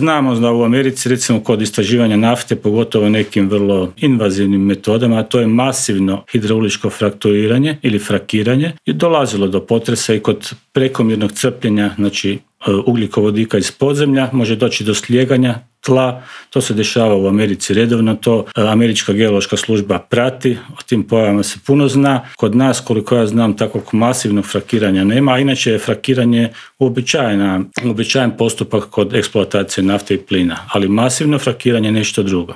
Znamo da u Americi recimo kod istraživanja nafte, pogotovo nekim vrlo invazivnim metodama, a to je masivno hidrauličko frakturiranje ili frakiranje, je dolazilo do potresa i kod prekomjernog crpljenja, znači ugljikovodika iz podzemlja, može doći do slijeganja tla. To se dešava u Americi redovno, to Američka geološka služba prati, o tim pojavama se puno zna. Kod nas, koliko ja znam, takvog masivnog frakiranja nema, a inače je frakiranje uobičajen postupak kod eksploatacije nafte i plina, ali masivno frakiranje je nešto drugo.